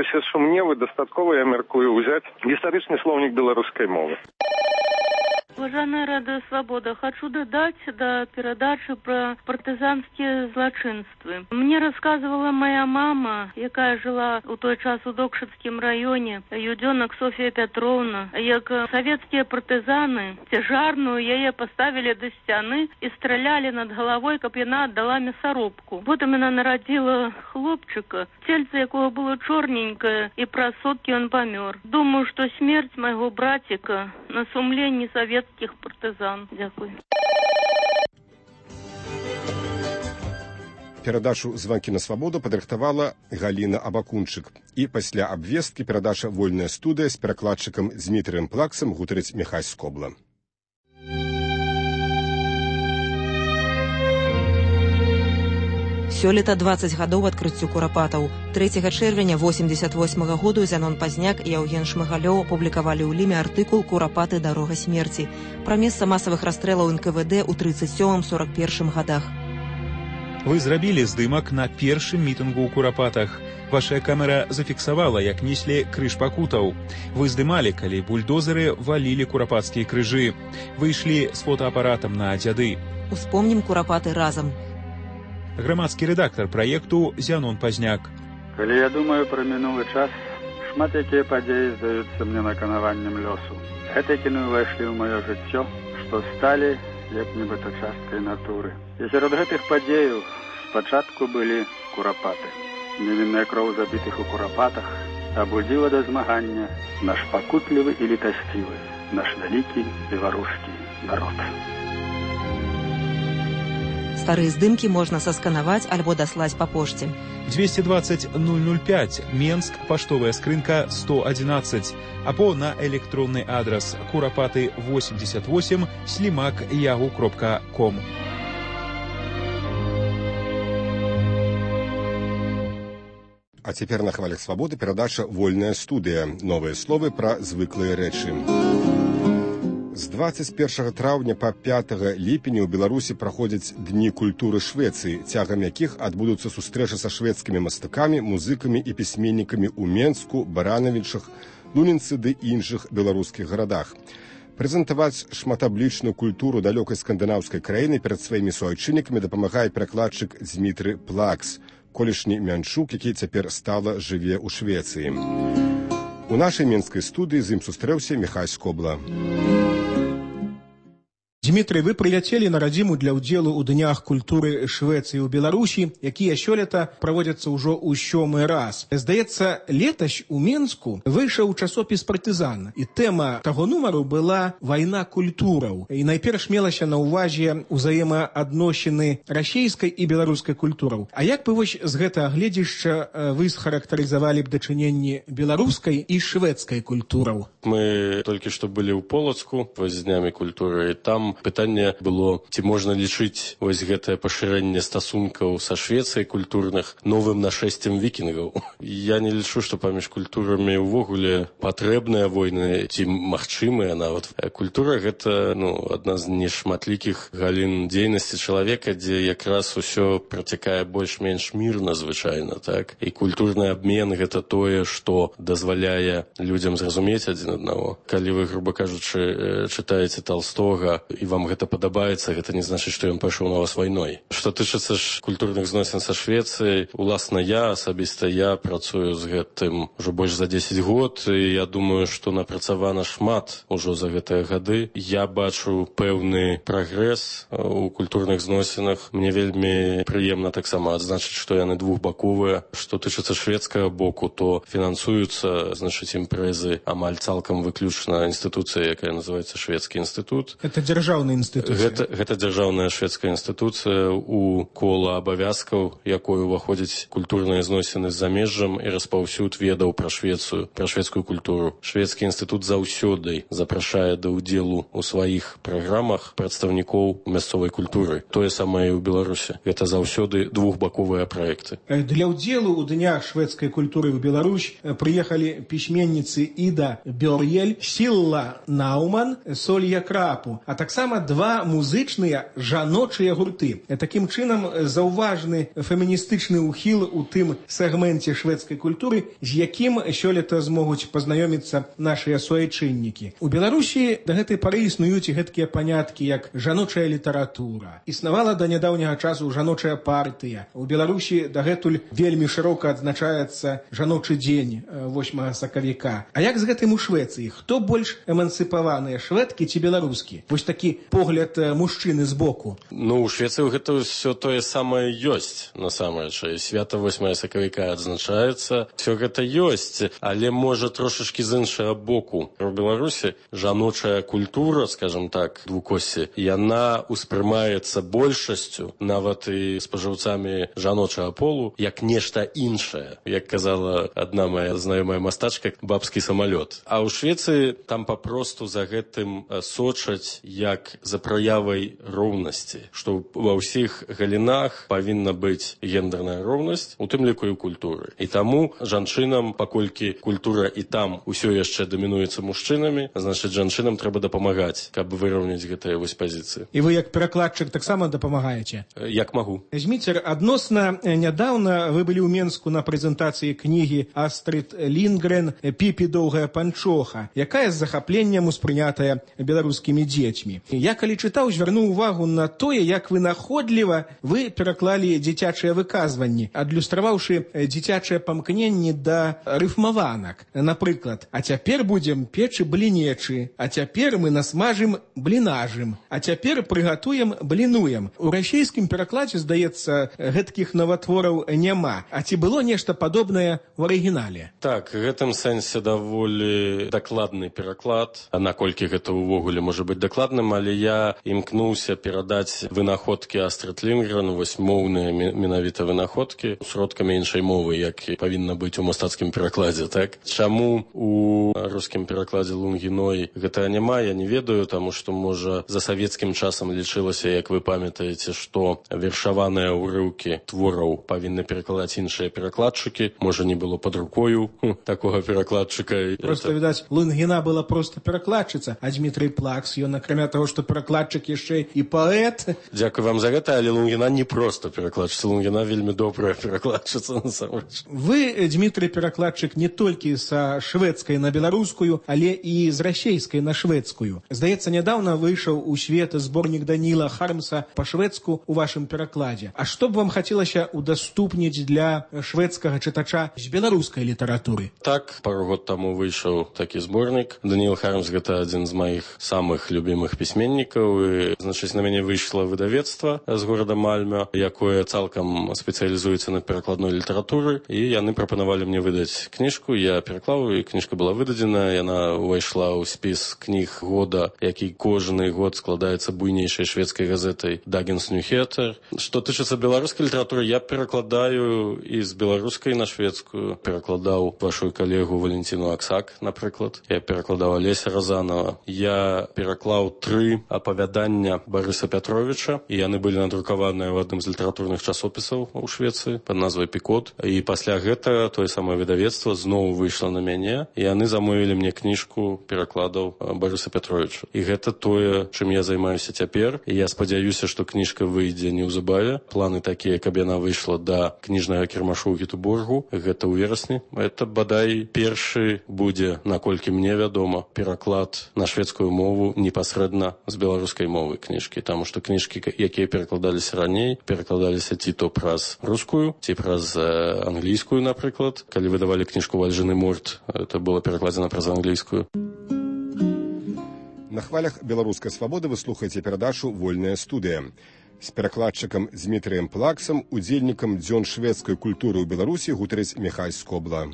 якасці сумневы дастаткова, я мяркую, узяць гістарычны слоўнік беларускай мовы. Уважаемая Радио Свобода, хочу додать до передачи про партизанские злочинства. Мне рассказывала моя мама, якая жила у той час у Докшицкім районе, юденок Софья Петровна, як советские партизаны тяжарную яе поставили до стены и стреляли над головой, каб яна отдала мясорубку. Потом она народила хлопчика, тельце якого было черненькое, и праз сутки он помер. Думаю, что смерть моего братика на сумлении советских партизан. Дякую. Перадачу «Звонки на свободу» падрыхтавала Галина Абакунчык. І пасля абвесткі перадача «Вольная студыя» з перакладчыкам Дмітрыем Плаксам гутарыць Міхась Скобла. Сёлета 20 гадоў адкрыццю курапатаў. 3 чэрвеня 88 году Зянон Пазняк і Яўген Шмыгалёў апублікавалі ў Ліме артыкул «Курапаты. Дарога смерці» пра месца масавых расстрэлаў НКВД ў 37-41 гадах. Вы зрабілі здымак на першым мітынгу ў Курапатах. Ваша камера зафіксавала, як неслі крыж пакутаў. Вы здымалі, калі бульдозеры валілі курапацкія крыжы. Вы ішлі з фотоапаратам на дзяды. Успомнім курапаты разам. Грамадскі рэдактар праекту Зянон Пазняк. Калі я думаю пра мінулы час, шмат якія падзеі здаюцца мне наканаваннем лёсу. Гэтыя кіны ўвайшлі ў маё жыццё, што сталі як нібыта часткай натуры. І сярод гэтых падзеяў спачатку былі курапаты. Невінная кроў забітых у курапатах абудзіла да змагання наш пакутлівы і літасцівы, наш вялікі беларускі народ. Старыя здымкі можна сасканаваць альбо даслаць па пошце. 220 005, Менск, паштовая скрынка 111, або на электронны адрас kurapaty88@yahoo.com. А цяпер на хвалях свабоды перадача «Вольная студыя». Новыя словы пра звыклыя рэчы. З 21 траўня па 5 ліпеня ў Беларусі праходзяць Дні культуры Швецыі, цягам якіх адбудуцца сустрэчы са шведскімі мастакамі, музыкамі і пісьменнікамі ў Менску, Баранавічах, Лунінцы ды іншых беларускіх гарадах. Прэзентаваць шматаблічную культуру далёкай скандынаўскай краіны перад сваімі суайчыннікамі дапамагае перакладчык Дмітрый Плакс, колішні мянчук, які цяпер стала жыве ў Швецыі. У нашай менскай студыі з ім сустрэўся Міхась Скобла. Дмітрый, вы прыляцелі на радзіму для ўдзелу ў Днях культуры Швецыі ў Беларусі, якія сёлета праводзяцца ўжо ў 7-й раз. Здаецца, летась у Менску выйшаў часопіс «Партызан», і тэма таго нумару была «Вайна культураў». І найперш мелася на ўвазе ўзаемаадносіны расійскай і беларускай культураў. А як бы вось з гэтага гледзішча вы схарактарызавалі б дачыненні беларускай і шведскай культураў? Мы толькі што былі ў Полацку з Днямі культуры, і там пытанне было, ці можна лічыць вось гэтае пашырэнне стасункаў са Швецыяй культурных новым нашэсцем вікінгаў. Я не лічу, што паміж культурамі ўвогуле патрэбныя войны, ці магчымыя нават. Культура гэта адна з нешматлікіх галін дзейнасці чалавека, дзе якраз усё працякае больш-менш мірна звычайна, так? І культурны абмен гэта тое, што дазваляе людзям зразумець адзін аднаго. Калі вы, груба кажучы, чытаеце Талстога, і вам гэта падабаецца, гэта не значыць, што ён пайшоў на вас вайной. Што тычыцца ж культурных зносін са Швецыяй, уласна асабіста я працую з гэтым ўжо больш за 10 год, і я думаю, што напрацавана шмат ужо за гэтыя гады. Я бачу пэўны прагрэс у культурных зносінах. Мне вельмі прыемна таксама адзначыць, што яны двухбаковыя. Што тычыцца шведскага боку, то фінансуюцца, імпрэзы амаль цалкам выключна інстытуцыя, якая называецца Шведскі інстытут. Это дзяржаўная інстытуцыя. Гэта дзяржаўная шведская інстытуцыя, у кола абавязкаў, якой уваходзяць культурныя зносіны з замежжам і распаўсюд ведаў пра Швецыю, пра шведскую культуру. Шведскі інстытут заўсёды запрашае да ўдзелу ў сваіх праграмах прадстаўнікоў мясцовай культуры. Тое самае і ў Беларусі. Гэта заўсёды двухбаковыя праекты. Для ўдзелу ў Днях шведскай культуры ў Беларусь прыехалі пісьменніцы Іда Бёр'ель, Сілла Науман, Солья Крапу, а таксама таксама два музычныя жаночыя гурты. Такім чынам заўважны феміністычны ўхіл у тым сегменце шведскай культуры, з якім сёлета змогуць пазнаёміцца нашыя суайчыннікі. У Беларусі да гэтай пары існуюць гэткія паняткі, як жаночая літаратура. Існавала да нядаўняга часу жаночая партыя. У Беларусі дагэтуль вельмі шырока адзначаецца жаночы дзень 8 сакавіка. А як з гэтым у Швецыі? Хто больш эмансіпаваныя, шведкі ці беларускі? Вось такі погляд мужчыны збоку. Ну, у Швецыі гэта ўсё тое самае ёсць, насамрэч. Свята 8 сакавіка адзначаецца. Всё гэта ёсць, але можа трошачкі з іншага боку. У Беларусі жаночая культура, скажем так, двукоссі, яна ўспрымаецца большасцю, нават і спажыўцамі жаночага полу, як нешта іншае. Як казала адна моя знаёмая мастачка, бабскі самалёт. А ў Швецыі там папросту за гэтым сочаць як за праявай роўнасці, што ва ўсіх галінах павінна быць гендерная роўнасць, у тым ліку і ў культуры. І таму жанчынам, паколькі культура і там усё яшчэ дамінуецца мужчынамі, значыць, жанчынам трэба дапамагаць, каб выраўняць гэтыя вось пазіцыі. І вы як перакладчык таксама дапамагаеце? Як магу. Зміцер, адносна нядаўна вы былі ў Менску на прэзентацыі кнігі Астрид Лінгрен «Піпі доўгая панчоха», якая з захапленнем успрынятая беларускімі дзецьмі. Я, калі чытаў, звярнуў увагу на тое, як вынаходліва вы пераклалі дзіцячыя выказванні, адлюстраваўшы дзіцячыя памкненні да рыфмаванак. Напрыклад, а цяпер будзем печы блінечы, а цяпер мы насмажым блінажым, а цяпер прыгатуем блінуем. У расійскім перакладзе, здаецца, гэткіх наватвораў няма. А ці было нешта падобнае ў арыгінале? Так, в гэтым сэнсе даволі дакладны пераклад. А наколькі гэта ўвогуле можа быць дакладным, але я імкнуўся перадаць вынаходкі Астрид Лінгрен, вось моўныя менавіта вынаходкі, сродкамі іншай мовы, як павінна быць у мастацкім перакладзе, так? Чаму у рускім перакладзе Лунгіной гэта няма, я не ведаю, таму што, можа, за савецкім часам лічылася, як вы памятаеце, што вершаваныя ўрыўкі твораў павінны перакладаць іншыя перакладчыкі. Можа, не было пад рукою такога перакладчыка. Просто, відаць, Лунгіна была проста перакладчыца, а Дмітрый Плакс, ён, акрамя таго, што перакладчык, яшчэ і паэт. Дзякуй вам за гэта, але Лунгіна не проста перакладчыца, Лунгіна вельмі добрая перакладчыца, насамрэч. Вы, Дмітрый, перакладчык не толькі са шведскай на беларускую, але і з расейскай на шведскую. Здаецца, нядаўна выйшаў у свет зборнік Даніла Хармса па-шведску у вашым перакладзе. А што б вам хацелася удаступніць для шведскага чытача з беларускай літаратуры? Так, пару год таму выйшаў такі зборнік. Даніл Хармс — гэта адзін з маіх самых любімых пісьменнікаў. І, значыць, на мяне выйшла выдавецтва з горада Мальмё, якое цалкам спецыялізуецца на перакладной літаратуры, і яны прапанавалі мне выдаць кніжку. Я пераклаў, і кніжка была выдадзена. Яна ўвайшла ў спіс кніг года, які кожны год складаецца буйнейшай шведскай газетай Dagens Nyheter. Што тычыцца беларускай літаратуры, я перакладаю і з беларускай на шведскую. Перакладаў вашу калегу Валентину Аксак, напрыклад. Я перакладаў Алеся Разанова. Я пераклаў 3 апавядання Барыса Пятровича, і яны былі надрукаваныя ў адным з літаратурных часопісаў у Швецыі пад назвай «Пікот». І пасля гэтага тое самае выдавецтва зноў выйшла на мяне, і яны замовілі мне кніжку перакладаў Барыса Пятровича. І гэта тое, чым я займаюся цяпер. І я спадзяюся, што кніжка выйдзе неўзабаве. Планы такія, каб яна выйшла да кніжнага кірмашу ў Гетеборгу. Гэта ў верасні. Это, бадай, першы будзе, наколькі мне вядома, пераклад на шведскую мову непасрэдна з беларускай мовы кніжкі. Таму што кніжкі, якія перакладаліся раней, перакладаліся ці то праз рускую, ці праз англійскую, напрыклад. Калі выдавалі кніжку «Вальжыны морт», это было перакладзена праз англійскую. На хвалях беларускай свабоды вы слухаеце перадачу «Вольная студыя». З перакладчыкам Дмітрыем Плаксам, удзельнікам дзён шведскай культуры ў Беларусі гутарыць Міхась Скобла.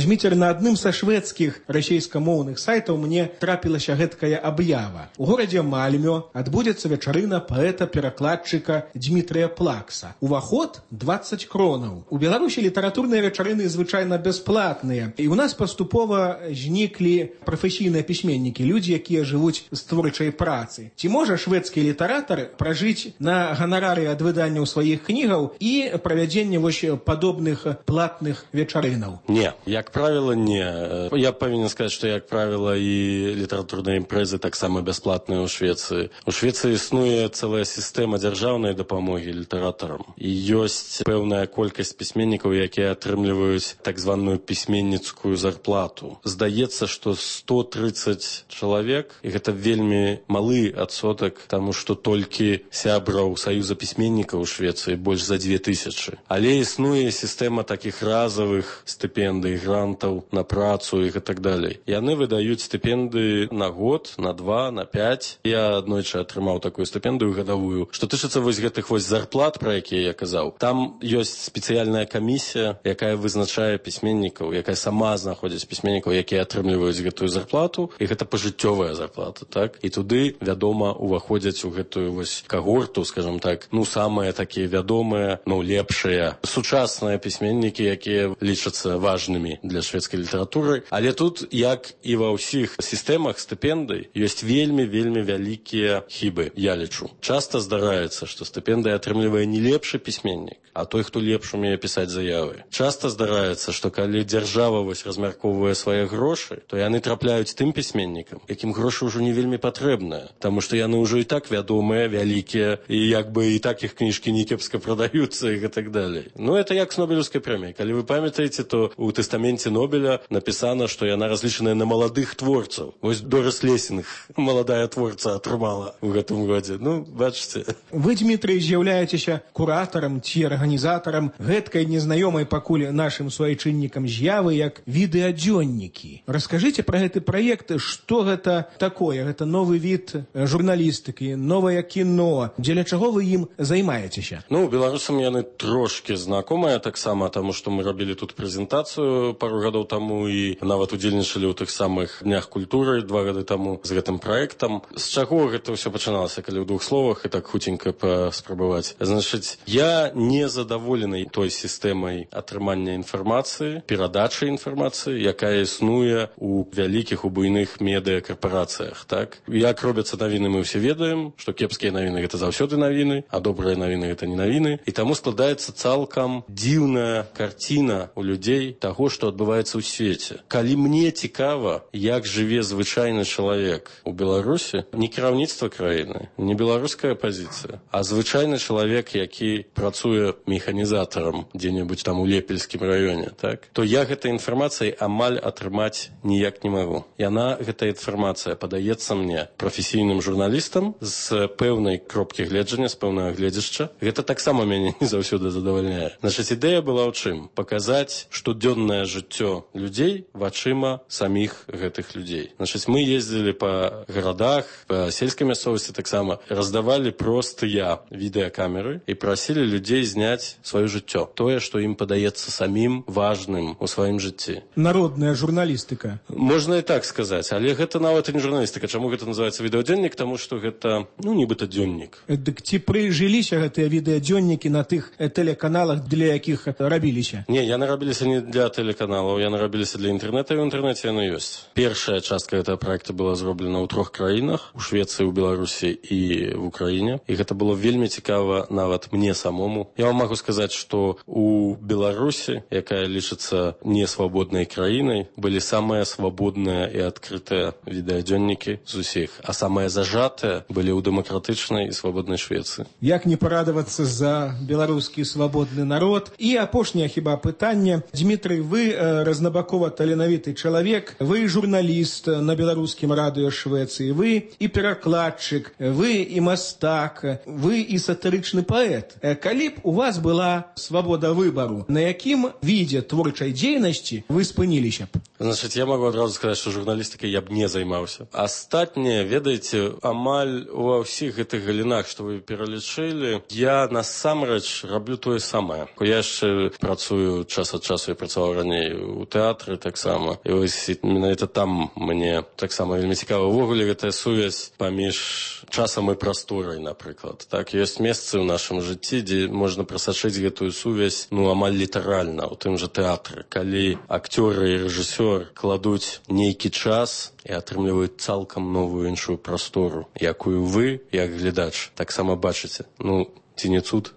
Зміцер, на адным са шведскіх расейскамоўных сайтаў мне трапілася гэткая аб'ява. У горадзе Мальмё адбудзецца вечарына паэта-перакладчыка Дмітрыя Плакса. Уваход 20 кронаў. У Беларусі літаратурныя вечарыны звычайна бясплатныя. І ў нас паступова зніклі прафесійныя пісьменнікі, людзі, якія жывуць з творчай працы. Ці можа шведскі літаратар пражыць на ганарары ад выданняў сваіх кнігаў і правядзення вось падобных платных вечарынаў? Не, як Як правіла, не. Я павінен сказаць, што, як правіла, і літаратурныя імпрэзы таксама бясплатныя ў Швецыі. У Швецыі існуе цэлая сістэма дзяржаўнай дапамогі літаратарам. І ёсць пэўная колькасць пісьменнікаў, якія атрымліваюць так званую пісьменніцкую зарплату. Здаецца, што 130 чалавек, і гэта вельмі малы адсотак, таму што толькі сябраў Саюза пісьменнікаў у Швецыі больш за 2000. Але існуе сістэма такіх разовых стыпендый, грантаў на працу і так далей. Яны выдаюць стыпендыі на год, на 2, на 5. Я аднойчы атрымаў такую стыпендыю гадавую. Што тычыцца вось гэтых вось зарплат, про якія я казаў, там ёсць спецыяльная камісія, якая вызначае пісьменнікаў, якая сама знаходзіць пісьменнікаў, якія атрымліваюць гэтую зарплату, і гэта пажыццёвая зарплата, так? І туды, вядома, уваходзяць у гэтую вось кагорту, скажем так, самыя такія вядомыя, лепшыя сучасныя пісьменнікі, якія лічацца важнымі для шведскай літаратуры. Але тут, як і ва ўсіх сістэмах стыпендый, ёсць вельмі вялікія хібы, я лічу. Часта здараецца, што стыпендыі атрымлівае не лепшы пісьменнік, а той, хто лепш умее пісаць заявы. Часта здараецца, што калі дзяржава вось размяркоўвае свае грошы, то яны трапляюць тым пісьменнікам, якім грошы ўжо не вельмі патрэбныя, таму што яны ўжо і так вядомыя, вялікія, і як бы і так іх кніжкі не кепска прадаюцца і так далей. Это як з Нобелеўскай прэміяй. Калі вы памятаеце, то ў тэстаменце Нобеля напісана, што яна разлічаная на маладых творцаў. Вось Дорис Лессинг, маладая творца, атрымала ў гэтым годзе. Бачыце. Вы, Дмітрый, з'яўляецеся куратарам ці арганізатарам гэткай незнаёмай пакуль нашым суайчыннікам з'явы як відэадзённікі. Раскажыце пра гэты праект, што гэта такое? Гэта новы від журналістыкі, новае кіно. Дзеля чаго вы ім займаецеся? Беларусам яны трошки знакомыя таксама, таму што мы рабілі тут прэзентацыю пару гадоў таму і нават удзельнічалі ў тых самых днях культуры 2 гады таму з гэтым праектам. З чаго гэта ўсё пачыналася, калі ў 2 словах і так хуценька паспрабаваць? Значыць, я не задаволены той сістэмай атрымання інфармацыі, перадачы інфармацыі, якая існуе у вялікіх, у буйных медыакарпарацыях, так? Як робяцца навіны, мы ўсе ведаем, што кепскія навіны гэта заўсёды навіны, а добрыя навіны гэта не навіны, і таму складаецца цалкам дзіўная карціна у людзей таго, што адбываецца ў свеце. Калі мне цікава, як жыве звычайны чалавек у Беларусі, не кіраўніцтва краіны, не беларуская пазіцыя, а звычайны чалавек, які працуе механізатарам дзе-небудзь там у Лепельскім раёне, так, то я гэтай інфармацыяй амаль атрымаць ніяк не магу. Яна, гэтая інфармацыя, падаецца мне прафесійным журналістам з пэўнай кропкі гледжання, з пэўнага гледзяшча. Гэта таксама мяне не заўсёды задавальняе. Значыць, ідэя была ў чым? Паказаць штодзённае жыццё людзей вачыма саміх гэтых людзей. Значыць, мы ездзілі па гарадах, па сельскай мясцовасці таксама, раздавалі простыя відэакамеры і прасілі людзей зняць сваё жыццё. Тое, што ім падаецца самім важным у сваім жыцці. Народная журналістыка. Можна і так сказаць, але гэта нават і не журналістыка. Чаму гэта называецца відэадзённік? Таму што гэта, нібыта дзённік. Дык ці прыжыліся гэтыя відэадзённікі на тых тэлеканалах, для якіх рабіліся? Не, яны рабіліся не для тэлеканалаў, яны рабіліся для інтэрнэта, і ў інтэрнэце яны ёсць. Першая частка гэтага праекта была зроблена ў 3 краінах, у Швецыі, у Беларусі і в Украіне. І гэта было вельмі цікава нават мне самому. Я вам магу сказаць, што у Беларусі, якая лічыцца несвабоднай краінай, былі самыя свабодныя і адкрытыя відэадзённікі з усіх, а самыя зажатыя былі ў дэмакратычнай і свабоднай Швецыі. Як не парадавацца за беларускі свабодны народ? І апошняе хіба пытанне. Дмітрый, вы разнабакова таленавіты чалавек, вы журналіст на беларускім радыё Швецыі, вы і перакладчык, вы і мастак, вы і сатырычны паэт. Калі б у вас была свабода выбару, на якім відзе творчай дзейнасці вы спыніліся б? Значыць, я магу адразу сказаць, што журналістыкай я б не займаўся. Астатняе, ведаеце, амаль ува ўсіх гэтых галінах, што вы пералічылі, я насамрэч раблю тое самае. Я яшчэ працую час ад часу, я працаваў раней у тэатры таксама. І вось менавіта там мне таксама вельмі цікава. Увогуле гэтая сувязь паміж часам і прасторай, напрыклад. Так, ёсць месцы ў нашым жыцці, дзе можна прасачыць гэтую сувязь, амаль літаральна, у тым жа тэатры. Калі акцёры і рэжысёр кладуць нейкі час і атрымліваюць цалкам новую іншую прастору, якую вы, як глядач, таксама бачыце. Ці не цуд?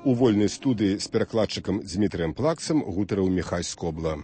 У вольнай студыі з перакладчыкам Дзмітрыем Плаксам гутарыў Міхай Скобла.